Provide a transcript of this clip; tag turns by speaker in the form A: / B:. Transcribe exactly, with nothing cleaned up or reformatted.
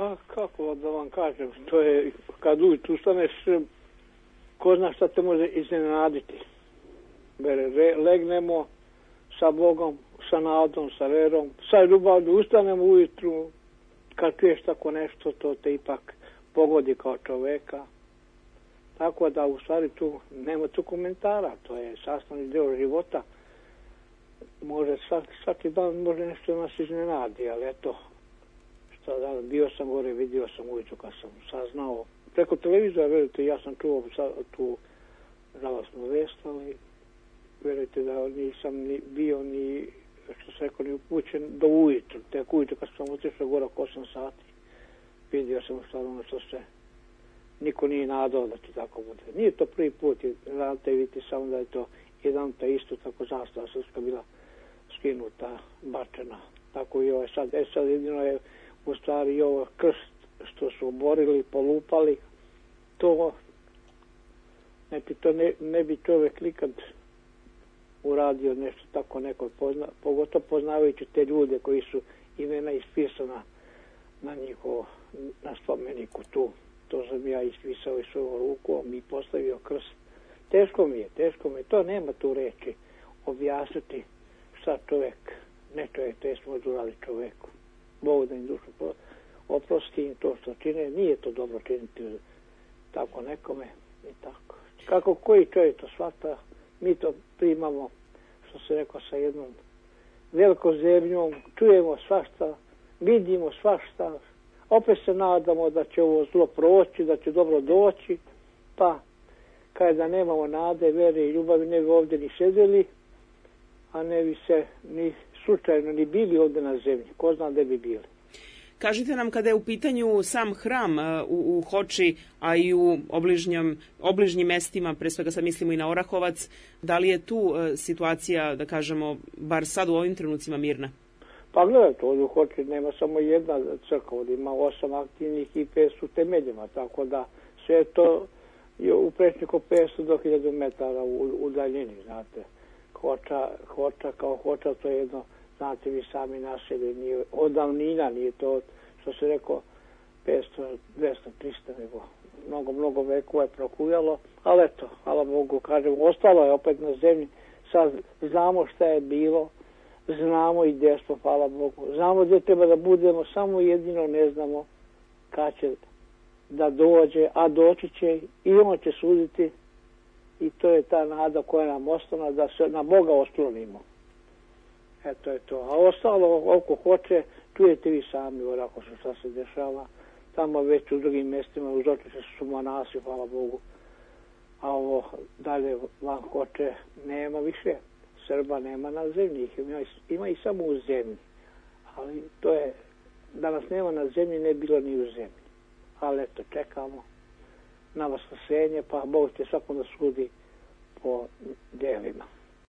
A: Pa kako da vam kažem, to je kad ujutru ustaneš, ko zna šta te može iznenaditi. Re, legnemo sa Bogom, sa nadom, sa verom, sa ljubavlju, ustanemo ujutru, kad čuješ tako nešto, to te ipak pogodi kao čoveka. Tako da u stvari tu nema tu komentara, to je sastavni deo života. Može svaki, svaki dan može nešto nas iznenadi, ali eto, šta da, bio sam gore, vidio sam ujutru kad sam saznao. Preko televizora, verujte, ja sam čuo tu žalostnu vest, ali verujte da nisam ni bio ni, što se rekao, ni upućen do ujutru. Tek ujutru kad sam otišao gore oko osam sati, vidio sam stvarno što se niko nije nadao da ti tako bude. Nije to prvi put, znate, vidite samo da je to jedan ta isto tako zastava srpska bila skinuta, bačena. Tako i ovo sad. E sad jedino je u stvari i ovo krst što su oborili, polupali. To, znači, to ne, ne bi čovjek nikad uradio nešto tako neko, pozna, pogotovo poznavajući te ljude koji su imena ispisana na njihovo, na spomeniku tu. To sam ja ispisao i svojom rukom i postavio krst. Teško mi je, teško mi je. To nema tu reči objasniti šta čovjek, ne čovjek, to je smo urali čovjeku. Bog da im dušu oprosti im to što čine. Nije to dobro činiti tako nekome i tako. Kako koji čovjek to shvata, mi to primamo, što se rekao, sa jednom velikom zemljom, čujemo svašta, vidimo svašta, opet se nadamo da će ovo zlo proći, da će dobro doći, pa kada da nemamo nade, vere i ljubavi, ne bi ovdje ni sedeli, a ne bi se ni slučajno ni bili ovdje na zemlji. Ko zna gdje bi bili.
B: Kažite nam, kada je u pitanju sam hram u, u Hoči, a i u obližnjom, obližnjim mestima, pre svega sad mislimo i na Orahovac, da li je tu uh, situacija, da kažemo, bar sad u ovim trenucima mirna?
A: Pa gledajte, ovdje u Hoči nema samo jedna crkva, ovdje ima osam aktivnih i pet su temeljima, tako da sve to je u prečniku petsto do hiljadu metara u, u daljini, znate. Hoča, Hoča kao Hoča, to je jedno, znate vi sami naselje, nije od davnina, nije to, što se rekao, petsto, dvesta, trista, nego mnogo, mnogo vekova je prokujalo, ali eto, hvala Bogu, kažem, ostalo je opet na zemlji, sad znamo šta je bilo, znamo i gdje smo, hvala Bogu, znamo gdje treba da budemo, samo jedino ne znamo kad će da dođe, a doći će i on će suditi i to je ta nada koja nam ostala, da se na Boga oslonimo. Eto je to. A ostalo oko Hoče, čujete vi sami orako šta se dešava. Tamo već u drugim mjestima uz očiše su monasi, hvala Bogu. A ovo dalje van Hoče nema više. Srba nema na zemlji, ima, ima i samo u zemlji. Ali to je, da nas nema na zemlji, ne bilo ni u zemlji. Ali eto, čekamo na vaskrsenje, pa Bog će svakom da sudi po djelima.